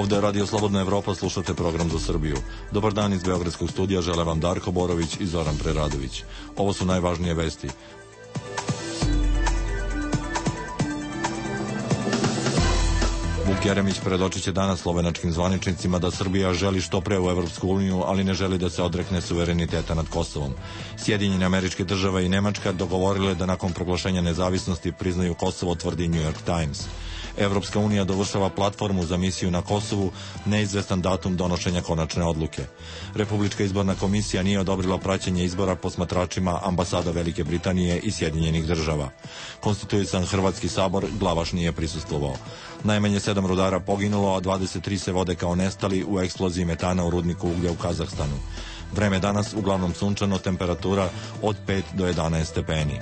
Ovde je Radio Slobodna Evropa, slušate program za Srbiju. Dobar dan iz Beogradskog studija, žele vam Darko Borović i Zoran Preradović. Ovo su najvažnije vesti. Vuk Jeremić predočit će danas slovenačkim zvaničnicima da Srbija želi što pre u Evropsku uniju, ali ne želi da se odrekne suvereniteta nad Kosovom. Sjedinjene Američke Države i Nemačka dogovorile da nakon proglašenja nezavisnosti priznaju Kosovo, tvrdi New York Times. Evropska unija dovršava platformu za misiju na Kosovu, neizvestan datum donošenja konačne odluke. Republička izborna komisija nije odobrila praćenje izbora posmatračima ambasada Velike Britanije i Sjedinjenih Država. Konstituisan Hrvatski sabor, Glavaš nije prisustvovao. Najmanje 7 rudara poginulo, a 23 se vode kao nestali u eksploziji metana u rudniku uglja u Kazahstanu. Vreme danas uglavnom sunčano, temperatura od 5 do 11 stepeni.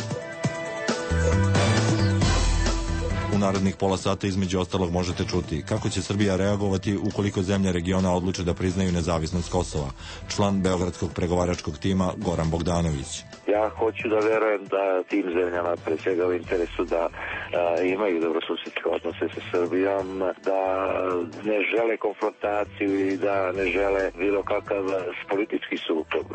U narednih pola sata između ostalog možete čuti kako će Srbija reagovati ukoliko zemlje regiona odluče da priznaju nezavisnost Kosova. Član Beogradskog pregovaračkog tima Goran Bogdanović. Ja hoću da verujem da tim zemljama pre svega u interesu da imaju dobrosusedske odnose sa Srbijom, da ne žele konfrontaciju i da ne žele bilo kakav politički sukob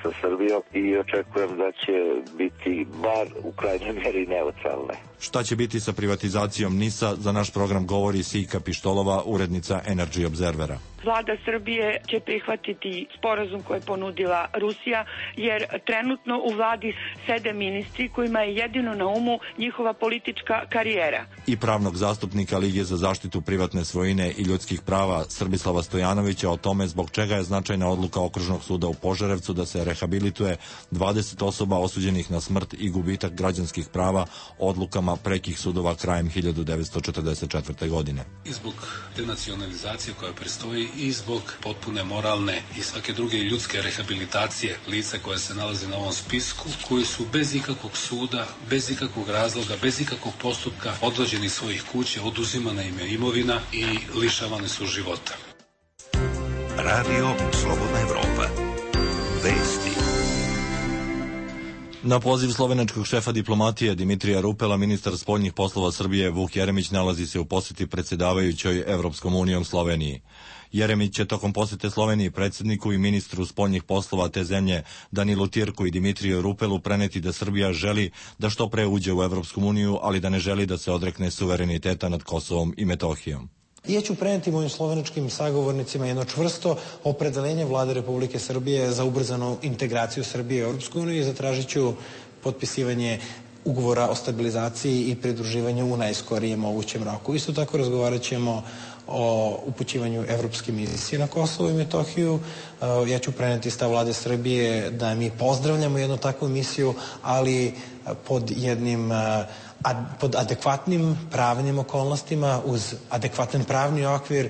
sa Srbijom i očekujem da će biti bar u krajnjoj meri neutralne. Šta će biti sa privatizacijom NIS-a, za naš program govori Sijka Pištolova, urednica Energy Observera. Vlada Srbije će prihvatiti sporazum koji je ponudila Rusija, jer trenutno u vladi sede ministri kojima je jedino na umu njihova politička karijera. I pravnog zastupnika Lige za zaštitu privatne svojine i ljudskih prava Srbislava Stojanovića o tome zbog čega je značajna odluka Okružnog suda u Požarevcu da se rehabilituje 20 osoba osuđenih na smrt i gubitak građanskih prava odlukama prekih sudova krajem 1944. godine. I zbog denacionalizacije koja predstoji i zbog potpune moralne i svake druge ljudske rehabilitacije lica koja se nalaze na ovom spisku, koji su bez ikakvog suda, bez ikakvog razloga, bez ikakvog postupka odvođeni iz svojih kuća, oduzimana im je imovina i lišavane su života. Radio Slobodna Evropa. Vesti. Na poziv slovenačkog šefa diplomatije Dimitrija Rupela, ministar spoljnih poslova Srbije Vuk Jeremić nalazi se u poseti predsjedavajućoj Evropskom unijom Sloveniji. Jeremić će tokom posete Sloveniji predsjedniku i ministru spoljnih poslova te zemlje Danilu Tirku i Dimitriju Rupelu preneti da Srbija želi da što pre uđe u Evropsku uniju, ali da ne želi da se odrekne suvereniteta nad Kosovom i Metohijom. Ja ću preneti mojim slovenačkim sagovornicima jedno čvrsto opredelenje Vlade Republike Srbije za ubrzanu integraciju Srbije u Evropsku uniju i zatražit ću potpisivanje ugovora o stabilizaciji i pridruživanju u najskorijem mogućem roku. Isto tako razgovarat ćemo o upućivanju evropske misije na Kosovo i Metohiju. Ja ću preneti stav Vlade Srbije da mi pozdravljamo jednu takvu misiju, ali pod adekvatnim pravnim okolnostima, uz adekvatan pravni okvir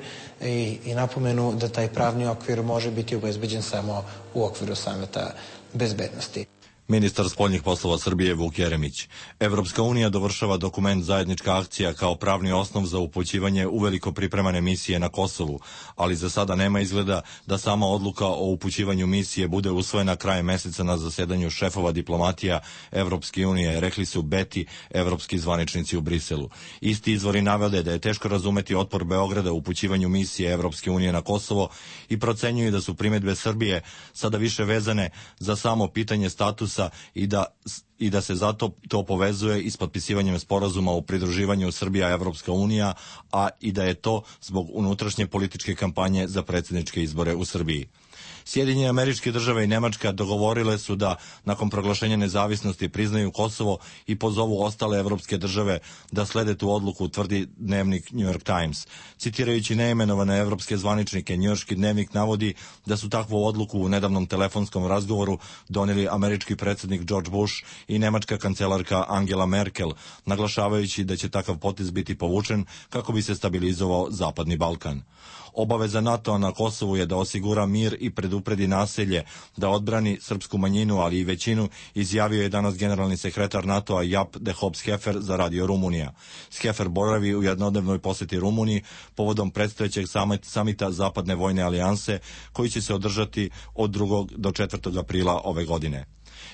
i napomenu da taj pravni okvir može biti obezbeđen samo u okviru Saveta bezbednosti. Ministar spoljnih poslova Srbije Vuk Jeremić. Evropska unija dovršava dokument Zajednička akcija kao pravni osnov za upućivanje uveliko pripremane misije na Kosovu, ali za sada nema izgleda da sama odluka o upućivanju misije bude usvojena krajem meseca na zasedanju šefova diplomatija Evropske unije, rekli su beti evropski zvaničnici u Briselu. Isti izvori navode da je teško razumeti otpor Beograda u upućivanju misije Evropske unije na Kosovo i procenjuju da su primedbe Srbije sada više vezane za samo pitanje statusa i da se zato to povezuje i s potpisivanjem sporazuma o pridruživanju Srbija-Evropska unija, a i da je to zbog unutrašnje političke kampanje za predsjedničke izbore u Srbiji. Sjedinjene Američke Države i Nemačka dogovorile su da nakon proglašenja nezavisnosti priznaju Kosovo i pozovu ostale evropske države da slede tu odluku, tvrdi dnevnik New York Times. Citirajući neimenovane evropske zvaničnike, njujorški dnevnik navodi da su takvu odluku u nedavnom telefonskom razgovoru doneli američki predsjednik George Bush i nemačka kancelarka Angela Merkel, naglašavajući da će takav potez biti povučen kako bi se stabilizovao Zapadni Balkan. Obaveza NATO-a na Kosovu je da osigura mir i predupredi nasilje, da odbrani srpsku manjinu, ali i većinu, izjavio je danas generalni sekretar NATO-a Jaap de Hoop Scheffer za Radio Rumunija. Scheffer boravi u jednodnevnoj poseti Rumuniji povodom predstojećeg samita Zapadne vojne alijanse koji će se održati od 2. do 4. aprila ove godine.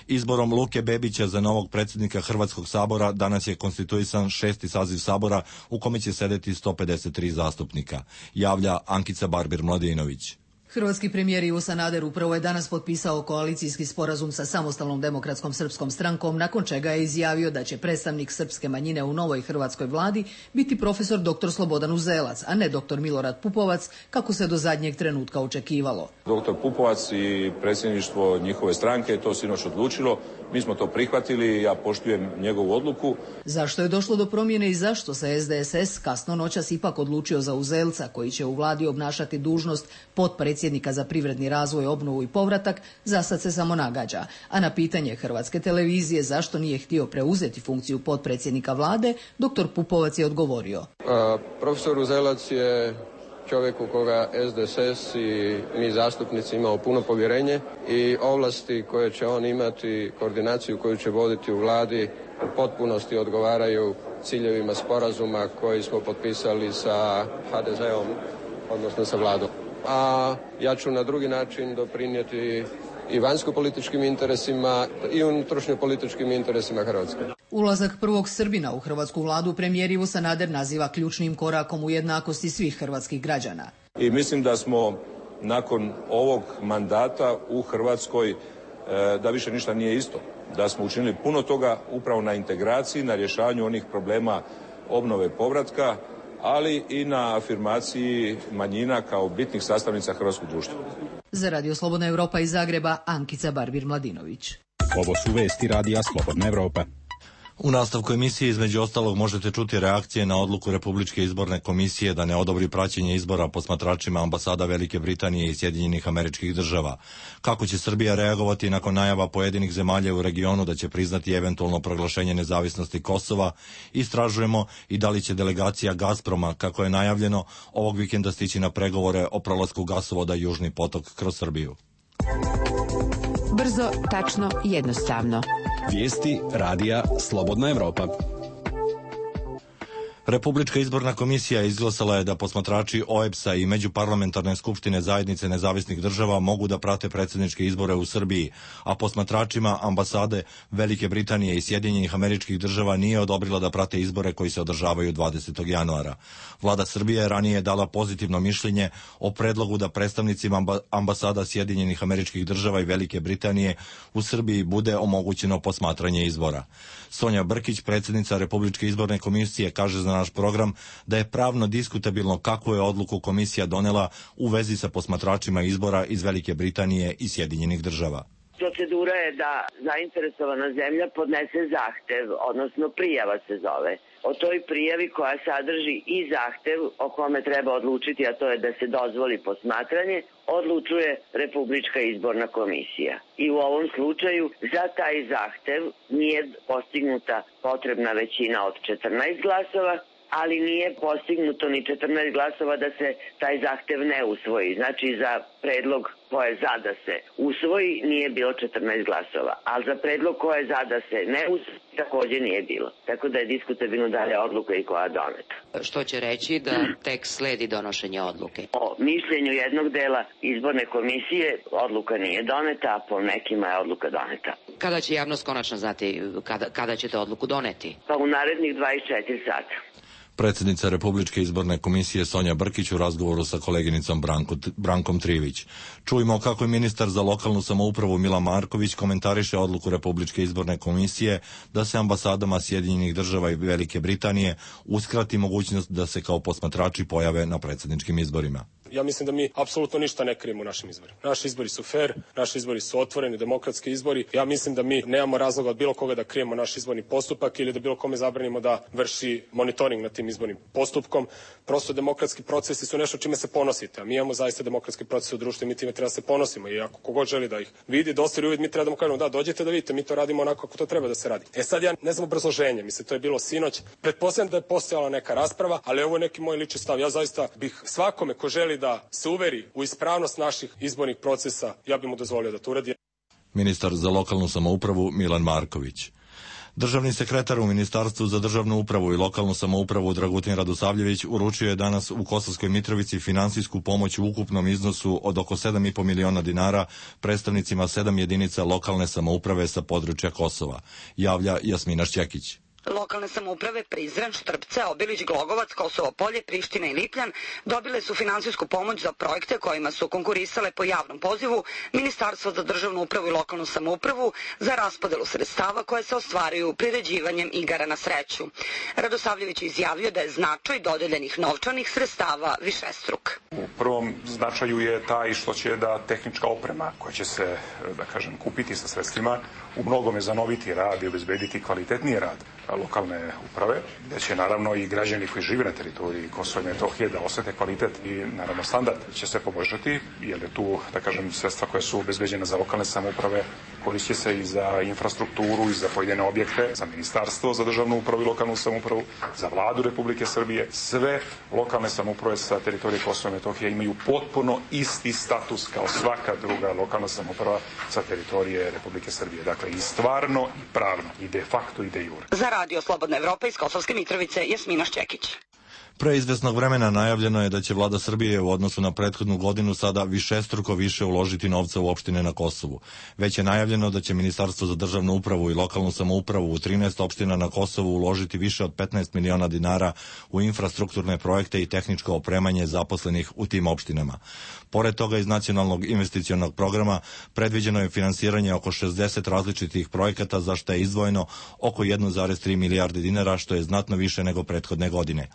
Izborom Luke Bebića za novog predsjednika Hrvatskog sabora danas je konstituisan 6. saziv sabora u kome će sedeti 153 zastupnika, javlja Ankica Barbir-Mladinović. Hrvatski premijer Ivo Sanader upravo je danas potpisao koalicijski sporazum sa Samostalnom demokratskom srpskom strankom, nakon čega je izjavio da će predstavnik srpske manjine u novoj hrvatskoj vladi biti profesor dr. Slobodan Uzelac, a ne dr. Milorad Pupovac, kako se do zadnjeg trenutka očekivalo. Dr. Pupovac i predsjedništvo njihove stranke je to sinoć odlučilo. Mi smo to prihvatili, ja poštujem njegovu odluku. Zašto je došlo do promjene i zašto se SDSS kasno noćas ipak odlučio za Uzelca, koji će u vladi obnašati dužnost potpredsjednika za privredni razvoj, obnovu i povratak, zasad se samo nagađa. A na pitanje Hrvatske televizije zašto nije htio preuzeti funkciju potpredsjednika vlade, dr. Pupovac je odgovorio. Profesor Uzelac je čovjek u koga SDSS i mi zastupnici imamo puno povjerenje i ovlasti koje će on imati, koordinaciju koju će voditi u vladi u potpunosti odgovaraju ciljevima sporazuma koji smo potpisali sa HDZ-om, odnosno sa vladom. A ja ću na drugi način doprinijeti i vanjsko-političkim interesima i unutrašnjo-političkim interesima Hrvatske. Ulazak prvog Srbina u hrvatsku vladu premijer Ivo Sanader naziva ključnim korakom u jednakosti svih hrvatskih građana. I mislim da smo nakon ovog mandata u Hrvatskoj, da više ništa nije isto. Da smo učinili puno toga upravo na integraciji, na rješavanju onih problema obnove povratka, ali i na afirmaciji manjina kao bitnih sastavnica hrvatskog društva. Za Radio Slobodna Europa iz Zagreba, Ankica Barbir-Mladinović. Ovo su vesti Radija Slobodna Europa. U nastavku emisije između ostalog možete čuti reakcije na odluku Republičke izborne komisije da ne odobri praćenje izbora posmatračima ambasada Velike Britanije i Sjedinjenih Američkih Država. Kako će Srbija reagovati nakon najava pojedinih zemalja u regionu da će priznati eventualno proglašenje nezavisnosti Kosova, istražujemo i da li će delegacija Gazproma, kako je najavljeno, ovog vikenda stići na pregovore o prolasku gasovoda Južni potok kroz Srbiju. Brzo, tačno, jednostavno. Vijesti Radija Slobodna Europa. Republička izborna komisija izglasala je da posmatrači OEBS-a i Međuparlamentarne skupštine zajednice nezavisnih država mogu da prate predsjedničke izbore u Srbiji, a posmatračima ambasade Velike Britanije i Sjedinjenih Američkih Država nije odobrila da prate izbore koji se održavaju 20. januara. Vlada Srbije je ranije dala pozitivno mišljenje o predlogu da predstavnicima ambasada Sjedinjenih Američkih Država i Velike Britanije u Srbiji bude omogućeno posmatranje izbora. Sonja Brkić, predsjednica Republičke izborne komisije, kaže za naš program da je pravno diskutabilno kakvu je odluku komisija donela u vezi sa posmatračima izbora iz Velike Britanije i Sjedinjenih Država. Procedura je da zainteresovana zemlja podnese zahtev, odnosno prijava se zove. O toj prijavi koja sadrži i zahtev o kome treba odlučiti, a to je da se dozvoli posmatranje, odlučuje Republička izborna komisija. I u ovom slučaju za taj zahtev nije postignuta potrebna većina od 14 glasova, ali nije postignuto ni 14 glasova da se taj zahtev ne usvoji. Znači za predlog ko je za da se usvoji nije bilo 14 glasova, ali za predlog ko je za da se ne usvoji također nije bilo. Tako da je diskutabilno da je odluka i koja doneta. Što će reći da tek sledi donošenje odluke? O mišljenju jednog dela izborne komisije odluka nije doneta, a po nekima je odluka doneta. Kada će javnost konačno znati kada ćete odluku doneti? Pa u narednih 24 sata. Predsjednica Republičke izborne komisije Sonja Brkić u razgovoru sa koleginicom Brankom Trivić. Čujmo kako je ministar za lokalnu samoupravu Milan Marković komentariše odluku Republičke izborne komisije da se ambasadama Sjedinjenih Država i Velike Britanije uskrati mogućnost da se kao posmatrači pojave na predsjedničkim izborima. Ja mislim da mi apsolutno ništa ne krijemo u našim izborima. Naši izbori su fair, naši izbori su otvoreni, demokratski izbori. Ja mislim da mi nemamo razloga od bilo koga da krijemo naš izborni postupak ili da bilo kome zabranimo da vrši monitoring nad tim izbornim postupkom. Prosto demokratski procesi su nešto čime se ponosite. A mi imamo zaista demokratski proces u društvu i mi time treba da se ponosimo. I ako kogod želi da ih vidi, da ostvari uvid, mi treba da mu kažemo da dođete da vidite, mi to radimo onako kako to treba da se radi. Sad ja ne znam obrazloženje, mislim to je bilo sinoć. Pretpostavljam da je postojala neka rasprava, ali ovo je neki moj lični stav. Ja zaista bih svakome ko želi da se uveri u ispravnost naših izbornih procesa, ja bih mu dozvolio da to uradi. Ministar za lokalnu samoupravu Milan Marković. Državni sekretar u Ministarstvu za državnu upravu i lokalnu samoupravu Dragutin Radosavljević uručio je danas u Kosovskoj Mitrovici finansijsku pomoć u ukupnom iznosu od oko 7,5 miliona dinara predstavnicima 7 jedinica lokalne samouprave sa područja Kosova, javlja Jasmina Šćekić. Lokalne samouprave Prizren, Štrpce, Obilić, Glogovac, Kosovo Polje, Priština i Lipljan dobile su finansijsku pomoć za projekte kojima su konkurisale po javnom pozivu Ministarstvo za državnu upravu i lokalnu samoupravu za raspodelu sredstava koje se ostvaruju priređivanjem igara na sreću. Radosavljević je izjavio da je značaj dodeljenih novčanih sredstava višestruk. U prvom značaju je taj što će da tehnička oprema koja će se, kupiti sa sredstvima u mnogome zanoviti rad i obezbediti kvalitetniji rad lokalne uprave, gde će naravno i građani koji žive na teritoriji Kosova i Metohije da osete kvalitet i naravno standard će se poboljšati, jer je tu, sredstva koja su obezbeđena za lokalne samouprave koristit će se i za infrastrukturu i za pojedine objekte, za Ministarstvo za državnu upravu i lokalnu samoupravu, za Vladu Republike Srbije. Sve lokalne samouprave sa teritorije Kosova i Metohije imaju potpuno isti status kao svaka druga lokalna samouprava sa teritorije Republike Srbije. Dakle, i stvarno i pravno, i de facto i de jure. Za Radio Slobodna Evropa iz Kosovske Mitrovice, Jasmina Šćekić. Pre izvesnog vremena najavljeno je da će vlada Srbije u odnosu na prethodnu godinu sada višestruko više uložiti novca u opštine na Kosovu. Već je najavljeno da će Ministarstvo za državnu upravu i lokalnu samoupravu u 13 opština na Kosovu uložiti više od 15 miliona dinara u infrastrukturne projekte i tehničko opremanje zaposlenih u tim opštinama. Pored toga, iz Nacionalnog investicionog programa predviđeno je finansiranje oko 60 različitih projekata, za što je izdvojeno oko 1,3 milijarde dinara, što je znatno više nego prethodne godine.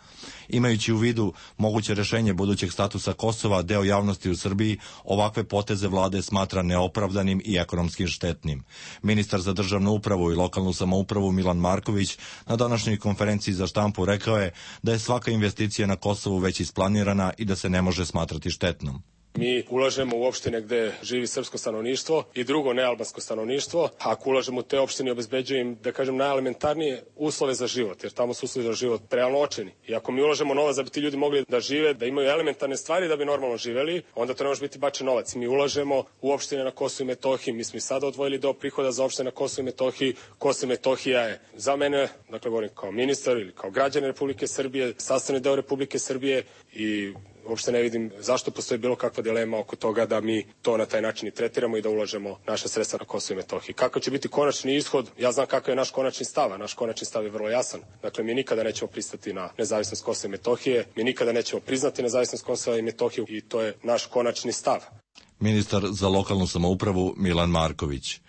Imajući u vidu moguće rešenje budućeg statusa Kosova, deo javnosti u Srbiji ovakve poteze vlade smatra neopravdanim i ekonomski štetnim. Ministar za državnu upravu i lokalnu samoupravu Milan Marković na današnjoj konferenciji za štampu rekao je da je svaka investicija na Kosovu već isplanirana i da se ne može smatrati štetnom. Mi ulažemo u opštine gde živi srpsko stanovništvo i drugo nealbansko stanovništvo. Ako ulažemo u te opštine, obezbeđujem im, najelementarnije uslove za život, jer tamo su uslovi za život realno očajni. I ako mi ulažemo novac da bi ti ljudi mogli da žive, da imaju elementarne stvari da bi normalno živeli, onda to ne može biti bačen novac. Mi ulažemo u opštine na Kosovu i Metohiji. Mi smo i sada odvojili deo prihoda za opštine na Kosovu i Metohiji. Kosovo i Metohija je za mene, govorim kao ministar ili kao građanin Republike Srbije, sastavni deo Republike Srbije i uopšte ne vidim zašto postoji bilo kakva dilema oko toga da mi to na taj način i tretiramo i da ulažemo naše sredstva na Kosovo i Metohiji. Kakav će biti konačni ishod? Ja znam kakav je naš konačni stav, a naš konačni stav je vrlo jasan. Dakle, mi nikada nećemo pristati na nezavisnost Kosova i Metohije, mi nikada nećemo priznati nezavisnost Kosova i Metohiju i to je naš konačni stav. Ministar za lokalnu samoupravu Milan Marković.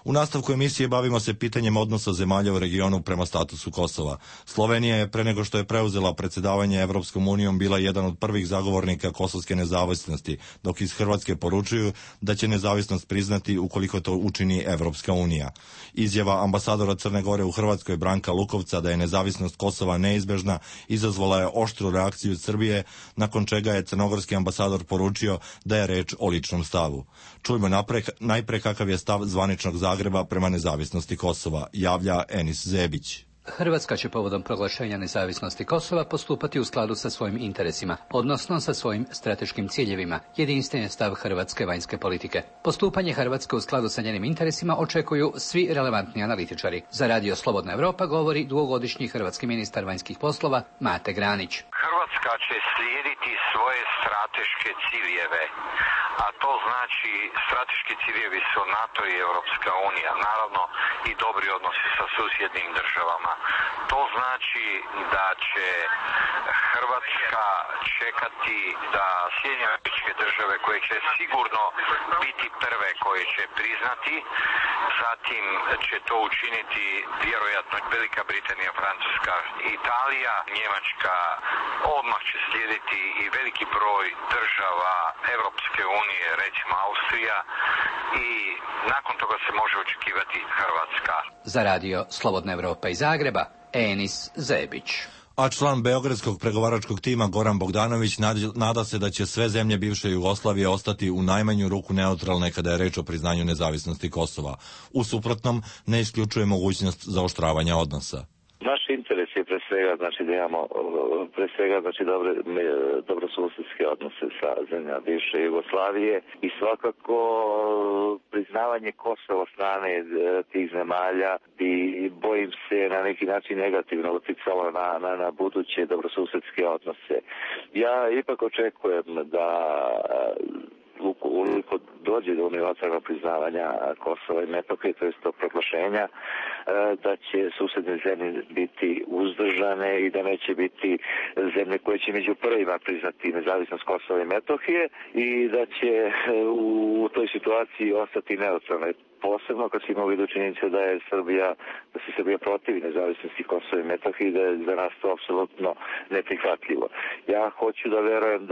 U nastavku emisije bavimo se pitanjem odnosa zemalja u regionu prema statusu Kosova. Slovenija je, pre nego što je preuzela predsjedavanje Evropskom unijom, bila jedan od prvih zagovornika kosovske nezavisnosti, dok iz Hrvatske poručuju da će nezavisnost priznati ukoliko to učini Evropska unija. Izjava ambasadora Crne Gore u Hrvatskoj Branka Lukovca da je nezavisnost Kosova neizbežna izazvala je oštru reakciju Srbije, nakon čega je crnogorski ambasador poručio da je reč o ličnom stavu. Čujmo najpre kakav je stav zvaničnog Zagreba prema nezavisnosti Kosova, javlja Enis Zebić. Hrvatska će povodom proglašenja nezavisnosti Kosova postupati u skladu sa svojim interesima, odnosno sa svojim strateškim ciljevima, jedinstven je stav hrvatske vanjske politike. Postupanje Hrvatske u skladu sa njenim interesima očekuju svi relevantni analitičari. Za Radio Slobodna Evropa govori dugogodišnji hrvatski ministar vanjskih poslova Mate Granić. Hrvatska će slijediti svoje strateške ciljeve, a to znači strateški ciljevi su NATO i Europska unija, naravno i dobri odnosi sa susjednim državama. To znači da će Hrvatska čekati da Sjedinjene Američke Države, koje će sigurno biti prve koje će priznati, zatim će to učiniti vjerojatno Velika Britanija, Francuska, Italija, Njemačka, odmah će slijediti i veliki broj država Europske unije, recimo Austrija, i nakon toga se može očekivati Hrvatska. Za Radio Slobodna Evropa iz Zagreba, Enis Zebić. A član beogradskog pregovaračkog tima Goran Bogdanović nada se da će sve zemlje bivše Jugoslavije ostati u najmanju ruku neutralne kada je reč o priznanju nezavisnosti Kosova. U suprotnom, ne isključuje mogućnost zaoštravanja odnosa. Naš interes je pre svega znači da imamo dobrosusedske odnose sa zemljama bivše Jugoslavije i svakako priznavanje Kosova od strane tih zemalja bi, bojim se, na neki način negativno uticalo na buduće dobrosusedske odnose. Ja ipak očekujem da ukoliko dođe do unilateralnog priznavanja Kosova i Metohije, to je to proglašenja, da će susedne zemlje biti uzdržane i da neće biti zemlje koje će među prvima priznati nezavisnost Kosova i Metohije i da će u toj situaciji ostati neutralne. Posebno kad se ima u vidu činjenica da se Srbija protivi nezavisnosti Kosova i Metohije i da je za nas to apsolutno neprihvatljivo. Ja hoću da verujem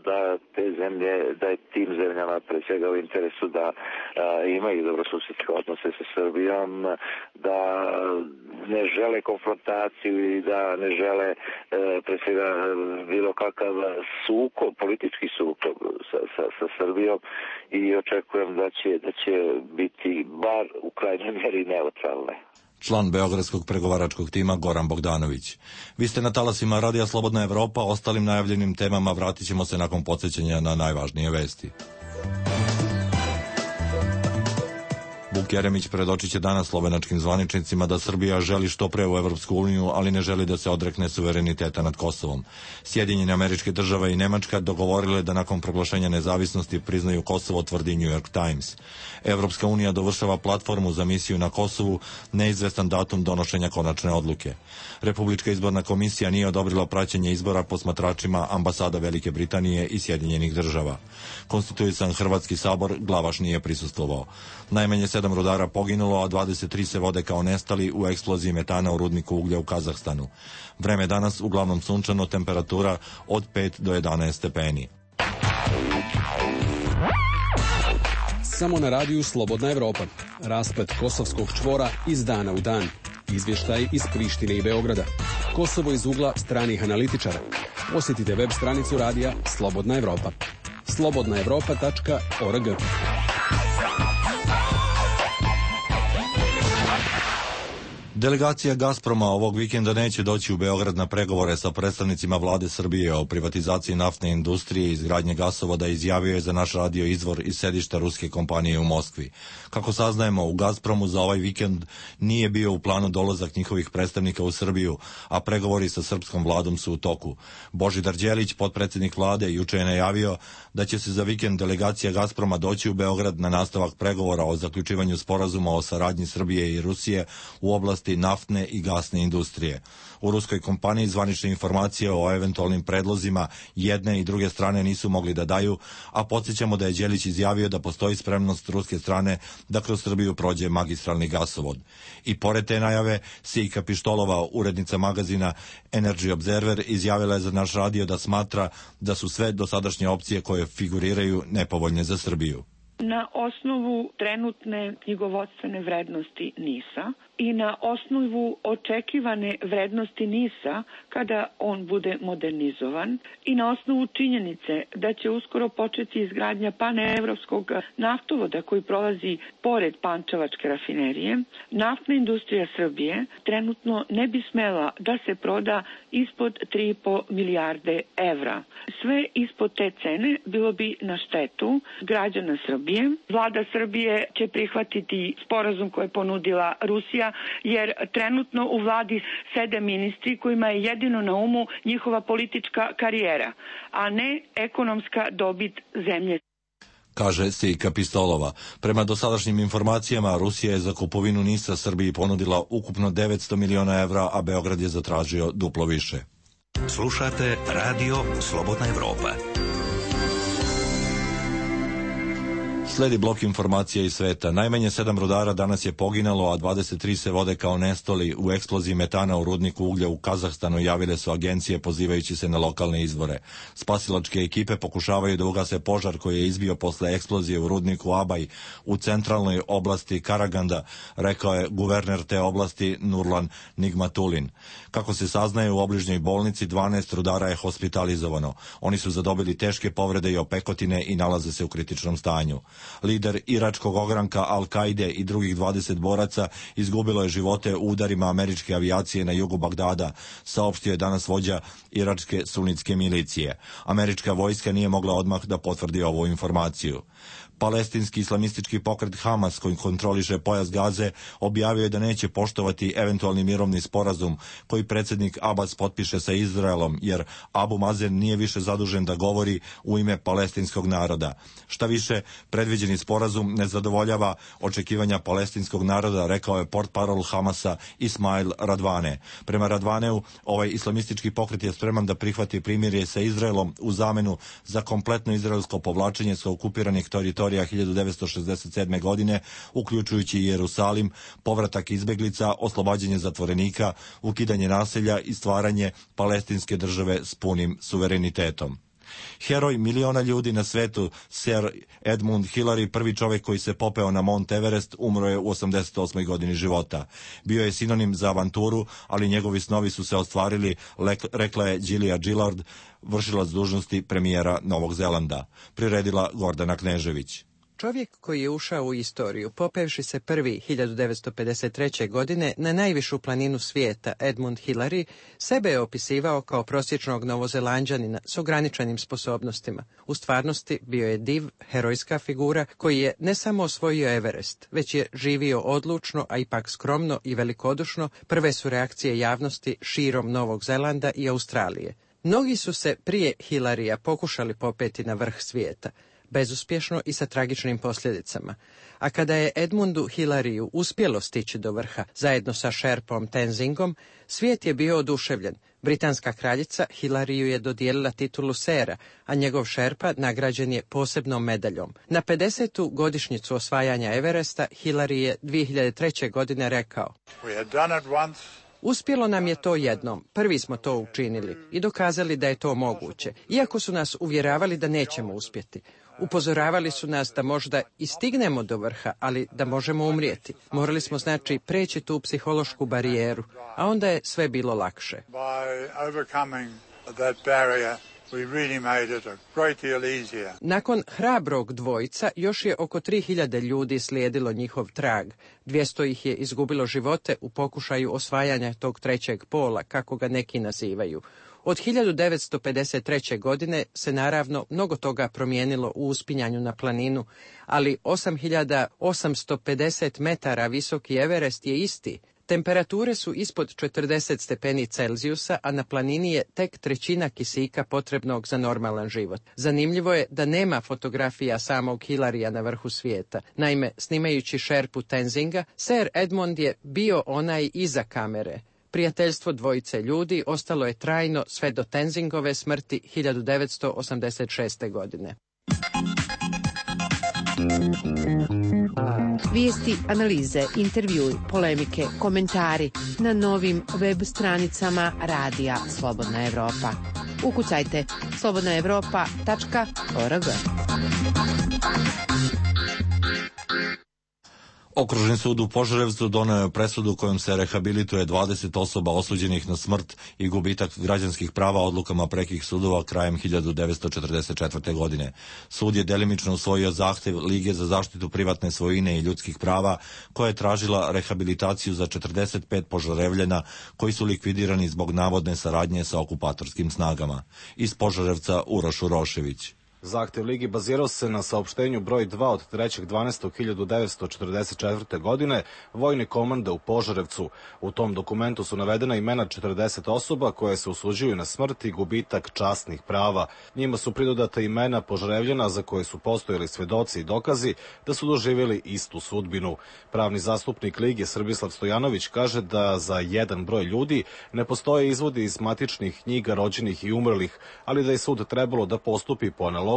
da te zemlje, da je tim zemljama pre svega u interesu da imaju dobrosusedske odnose sa Srbijom, da ne žele konfrontaciju i da ne žele pre svega bilo kakav sukob, politički sukob sa Srbijom i očekujem da će biti bar u krajnjoj mjeri neutralne. Član beogradskog pregovaračkog tima Goran Bogdanović. Vi ste na talasima Radija Slobodna Evropa, ostalim najavljenim temama vratit ćemo se nakon podsjećanja na najvažnije vesti. Vuk Jeremić predočit će danas slovenačkim zvaničnicima da Srbija želi što pre u Evropsku uniju, ali ne želi da se odrekne suvereniteta nad Kosovom. Sjedinjene Američke Države i Nemačka dogovorile da nakon proglašenja nezavisnosti priznaju Kosovo, tvrdi New York Times. Evropska unija dovršava platformu za misiju na Kosovu, neizvestan datum donošenja konačne odluke. Republička izborna komisija nije odobrila praćenje izbora posmatračima ambasada Velike Britanije i Sjedinjenih Država. Konstituisan Hrvatski sabor, Glavaš nije prisustvovao. Najmanje 7 rudara poginulo, a 23 se vode kao nestali u eksploziji metana u rudniku uglja u Kazahstanu. Vreme danas uglavnom sunčano, temperatura od 5 do 11 stepeni. Samo na radiju Slobodna Evropa. Rasplet kosovskog čvora iz dana u dan. Izvještaj iz Prištine i Beograda. Kosovo iz ugla stranih analitičara. Posjetite web stranicu radija Slobodna Evropa. slobodnaevropa.org. Delegacija Gazproma ovog vikenda neće doći u Beograd na pregovore sa predstavnicima vlade Srbije o privatizaciji naftne industrije i izgradnje gasovoda, izjavio je za naš radio izvor iz sedišta ruske kompanije u Moskvi. Kako saznajemo, u Gazpromu za ovaj vikend nije bio u planu dolazak njihovih predstavnika u Srbiju, a pregovori sa srpskom vladom su u toku. Božidar Đelić, potpredsjednik vlade, juče je najavio da će se za vikend delegacija Gazproma doći u Beograd na nastavak pregovora o zaključivanju sporazuma o saradnji Srbije i Rusije u oblasti naftne i gasne industrije. U ruskoj kompaniji zvanične informacije o eventualnim predlozima jedne i druge strane nisu mogli da daju, a podsjećamo da je Đelić izjavio da postoji spremnost ruske strane da kroz Srbiju prođe magistralni gasovod. I pored te najave, Sijka Pištolova, urednica magazina Energy Observer, izjavila je za naš radio da smatra da su sve dosadašnje opcije koje figuriraju nepovoljne za Srbiju. Na osnovu trenutne knjigovodstvene vrednosti NIS-a i na osnovu očekivane vrednosti NIS-a kada on bude modernizovan i na osnovu činjenice da će uskoro početi izgradnja paneuropskog naftovoda koji prolazi pored Pančevačke rafinerije, naftna industrija Srbije trenutno ne bi smela da se proda ispod 3,5 milijarde evra. Sve ispod te cene bilo bi na štetu građana Srbije. Vlada Srbije će prihvatiti sporazum koji je ponudila Rusija, jer trenutno u vladi sede ministri kojima je jedino na umu njihova politička karijera, a ne ekonomska dobit zemlje. Kaže Sijka Pistolova. Prema dosadašnjim informacijama, Rusija je za kupovinu NIS-a Srbiji ponudila ukupno 900 miliona evra, a Beograd je zatražio duplo više. Slušate Radio Slobodna Evropa. Sledi blok informacija iz sveta. Najmanje 7 rudara danas je poginalo, a 23 se vode kao nestali u eksploziji metana u rudniku uglja u Kazahstanu, javile su agencije pozivajući se na lokalne izvore. Spasilačke ekipe pokušavaju da ugase požar koji je izbio posle eksplozije u rudniku Abaj u centralnoj oblasti Karaganda, rekao je guverner te oblasti Nurlan Nigmatulin. Kako se saznaje, u obližnjoj bolnici 12 rudara je hospitalizovano. Oni su zadobili teške povrede i opekotine i nalaze se u kritičnom stanju. Lider iračkog ogranka Al-Kaide i drugih 20 boraca izgubilo je živote u udarima američke avijacije na jugu Bagdada, saopštio je danas vođa iračke sunitske milicije. Američka vojska nije mogla odmah da potvrdi ovu informaciju. Palestinski islamistički pokret Hamas, koji kontroliše pojas Gaze, objavio je da neće poštovati eventualni mirovni sporazum koji predsjednik Abbas potpiše sa Izraelom, jer Abu Mazen nije više zadužen da govori u ime palestinskog naroda. Šta više, predviđeni sporazum ne zadovoljava očekivanja palestinskog naroda, rekao je portparol Hamasa Ismail Radvane. Prema Radvaneu, ovaj islamistički pokret je spreman da prihvati primirje sa Izraelom u zamenu za kompletno izraelsko povlačenje sa okupiranih teritorija 1967. godine, uključujući Jerusalim, povratak izbeglica, oslobađanje zatvorenika, ukidanje naselja i stvaranje palestinske države s punim suverenitetom. Heroj miliona ljudi na svetu, Sir Edmund Hillary, prvi čovjek koji se popeo na Mount Everest, umro je u 88. godini života. Bio je sinonim za avanturu, ali njegovi snovi su se ostvarili, rekla je Julia Gillard, vršilac dužnosti premijera Novog Zelanda. Priredila Gordana Knežević. Čovjek koji je ušao u istoriju, popevši se prvi 1953. godine na najvišu planinu svijeta, Edmund Hillary, sebe je opisivao kao prosječnog Novozelanđanina s ograničenim sposobnostima. U stvarnosti bio je div, herojska figura koji je ne samo osvojio Everest, već je živio odlučno, a ipak skromno i velikodušno. Prve su reakcije javnosti širom Novog Zelanda i Australije. Mnogi su se prije Hillarya pokušali popeti na vrh svijeta, bezuspješno i sa tragičnim posljedicama. A kada je Edmundu Hillaryu uspjelo stići do vrha zajedno sa šerpom Tenzingom, svijet je bio oduševljen. Britanska kraljica Hillaryu je dodijelila titulu sera, a njegov šerpa nagrađen je posebnom medaljom. Na 50. godišnjicu osvajanja Everesta Hillary je 2003. godine rekao: Uspjelo nam je to jednom, prvi smo to učinili i dokazali da je to moguće, iako su nas uvjeravali da nećemo uspjeti. Upozoravali su nas da možda i stignemo do vrha, ali da možemo umrijeti. Morali smo znači preći tu psihološku barijeru, a onda je sve bilo lakše. Nakon hrabrog dvojca još je oko 3000 ljudi slijedilo njihov trag. 200 ih je izgubilo živote u pokušaju osvajanja tog trećeg pola, kako ga neki nazivaju. Od 1953. godine se naravno mnogo toga promijenilo u uspinjanju na planinu, ali 8850 metara visoki Everest je isti. Temperature su ispod 40 stepeni Celzijusa, a na planini je tek trećina kisika potrebnog za normalan život. Zanimljivo je da nema fotografija samog Hillarya na vrhu svijeta. Naime, snimajući šerpu Tenzinga, Sir Edmund je bio onaj iza kamere. Prijateljstvo dvojice ljudi ostalo je trajno sve do Tenzingove smrti 1986. godine. Vijesti, analize, intervjui, polemike, komentari na novim web stranicama Radija Slobodna Evropa. Ukucajte slobodnaevropa.org. Okružni sud u Požarevcu doneo je presudu kojom se rehabilituje 20 osoba osuđenih na smrt i gubitak građanskih prava odlukama prekih sudova krajem 1944. godine. Sud je delimično usvojio zahtev Lige za zaštitu privatne svojine i ljudskih prava, koja je tražila rehabilitaciju za 45 Požarevljana koji su likvidirani zbog navodne saradnje sa okupatorskim snagama. Iz Požarevca Uroš Urošević. Zahtev Ligi bazirao se na saopštenju broj 2 od 3.12.1944. godine vojne komande u Požarevcu. U tom dokumentu su navedena imena 40 osoba koje se osuđuju na smrt i gubitak časnih prava. Njima su pridodata imena Požarevljana za koje su postojali svedoci i dokazi da su doživjeli istu sudbinu. Pravni zastupnik Lige Srbislav Stojanović kaže da za jedan broj ljudi ne postoje izvodi iz matičnih knjiga rođenih i umrlih, ali da je sud trebalo da postupi po analogiji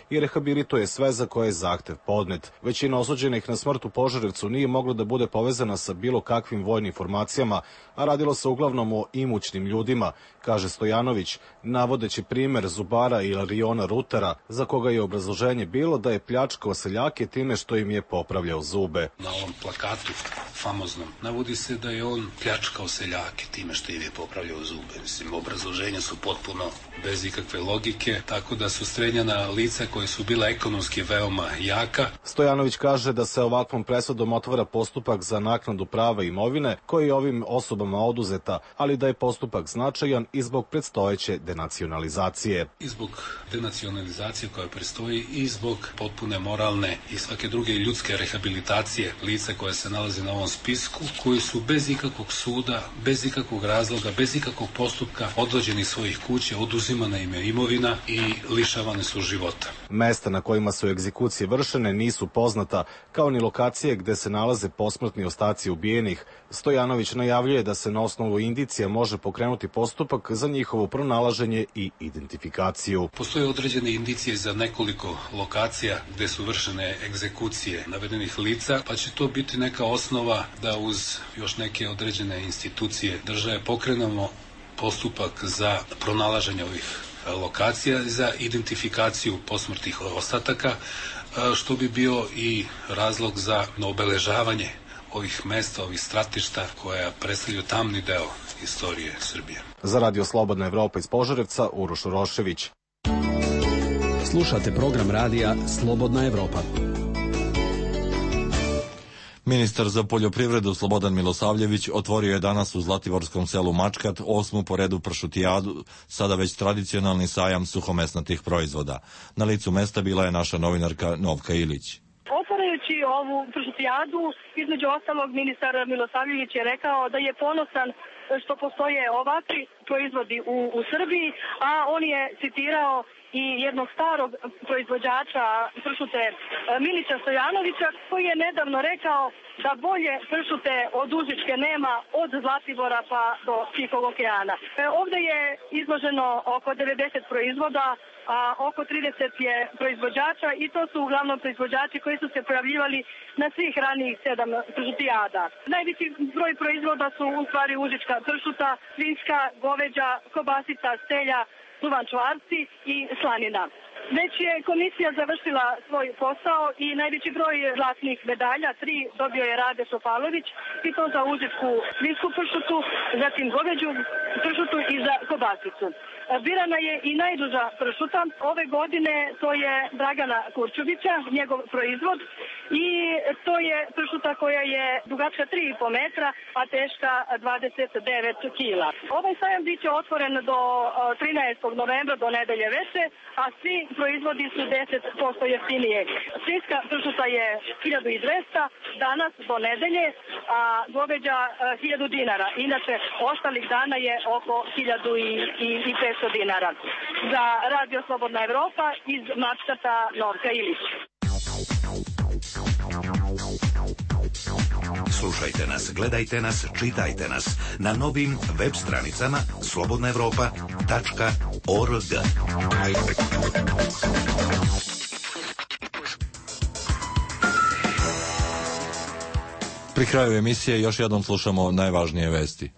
i rehabilituje sve za koje je zahtev podnet. Većina osuđenih na smrt u Požarevcu nije mogla da bude povezana sa bilo kakvim vojnim formacijama, a radilo se uglavnom o imućnim ljudima, kaže Stojanović, navodeći primjer Zubara i Ilariona Rutera, za koga je obrazloženje bilo da je pljačkao seljake time što im je popravljao zube. Na ovom plakatu famoznom navodi se da je on pljačkao seljake time što im je popravljao zube. Mislim, obrazloženja su potpuno bez ikakve logike, tako da su Strenjana lica koje su bila ekonomski veoma jaka. Stojanović kaže da se ovakvom presudom otvara postupak za naknadu prava imovine koji je ovim osobama oduzeta, ali da je postupak značajan i zbog predstojeće denacionalizacije. I zbog denacionalizacije koja predstoji i zbog potpune moralne i svake druge ljudske rehabilitacije lica koje se nalaze na ovom spisku, koji su bez ikakvog suda, bez ikakvog razloga, bez ikakvog postupka odvođeni iz svojih kuća, oduzimana im je imovina i lišavane su života. Mesta na kojima su egzekucije vršene nisu poznata, kao ni lokacije gde se nalaze posmrtni ostaci ubijenih. Stojanović najavljuje da se na osnovu indicija može pokrenuti postupak za njihovo pronalaženje i identifikaciju. Postoje određene indicije za nekoliko lokacija gde su vršene egzekucije navedenih lica, pa će to biti neka osnova da uz još neke određene institucije države pokrenemo postupak za pronalaženje ovih lokacija za identifikaciju posmrtnih ostataka, što bi bio i razlog za obeležavanje ovih mesta, ovih stratišta koja predstavljaju tamni deo istorije Srbije. Za Radio Slobodna Evropa iz Požarevca, Uroš Urošević. Slušate program radija Slobodna Evropa. Ministar za poljoprivredu Slobodan Milosavljević otvorio je danas u zlatiborskom selu Mačkat 8. po redu pršutijadu, sada već tradicionalni sajam suhomesnatih proizvoda. Na licu mesta bila je naša novinarka Novka Ilić. Otvarajući ovu pršutijadu, između ostalog ministar Milosavljević je rekao da je ponosan što postoje ovakvi proizvodi u Srbiji, a on je citirao i jednog starog proizvođača pršute Milića Stojanovića, koji je nedavno rekao da bolje pršute od Užičke nema od Zlatibora pa do Tihog okeana. Ovde je izloženo oko 90 proizvoda, a oko 30 je proizvođača i to su uglavnom proizvođači koji su se pojavljivali na svih ranijih 7 pršutijada. Najveći broj proizvoda su u stvari užička pršuta, svinjska, goveđa, kobasica, stelja, duvan čvarci i slanina. Već je komisija završila svoj posao i najveći broj zlatnih medalja, 3 dobio je Rade Šopalović, i to za užičku svinjsku pršutu, zatim goveđu pršutu i za kobasicu. Birana je i najduža pršuta. Ove godine to je Dragana Kurčubića, njegov proizvod, i to je pršuta koja je dugačka 3,5 metra, a teška 29 kila. Ovaj sajam biće otvoren do 13. novembra, do nedelje veče, a svi proizvodi su 10% jeftinije. Svinjska pršuta je 1200 danas do nedelje, a goveđa 1000 dinara. Inače, ostalih dana je oko 1500 dinara. Za Radio Slobodna Evropa iz Mačkata, Novka Ilić. Slušajte nas, gledajte nas, čitajte nas na novim web stranicama slobodnaevropa.org. Pri kraju emisije još jednom slušamo najvažnije vesti.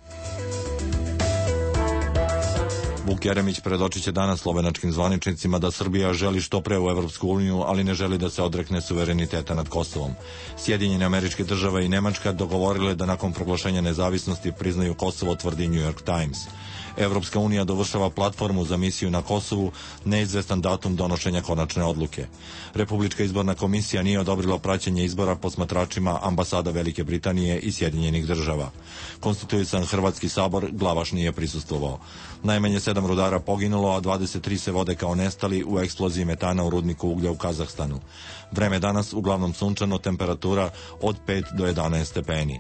Vuk Jeremić predočit će danas slovenačkim zvaničnicima da Srbija želi što pre u Evropsku uniju, ali ne želi da se odrekne suvereniteta nad Kosovom. Sjedinjene Američke Države i Nemačka dogovorile da nakon proglašenja nezavisnosti priznaju Kosovo, tvrdi New York Times. Evropska unija dovršava platformu za misiju na Kosovu, neizvestan datum donošenja konačne odluke. Republička izborna komisija nije odobrila praćenje izbora posmatračima ambasada Velike Britanije i Sjedinjenih Država. Konstituisan Hrvatski sabor Glavaš nije prisustvovao. Najmanje 7 rudara poginulo, a 23 se vode kao nestali u eksploziji metana u rudniku uglja u Kazahstanu. Vreme danas uglavnom sunčano, temperatura od 5 do 11 stepeni.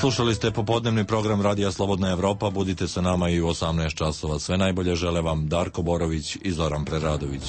Slušali ste popodnevni program Radija Slobodna Evropa. Budite sa nama i u 18 časova. Sve najbolje žele vam Darko Borović i Zoran Preradović.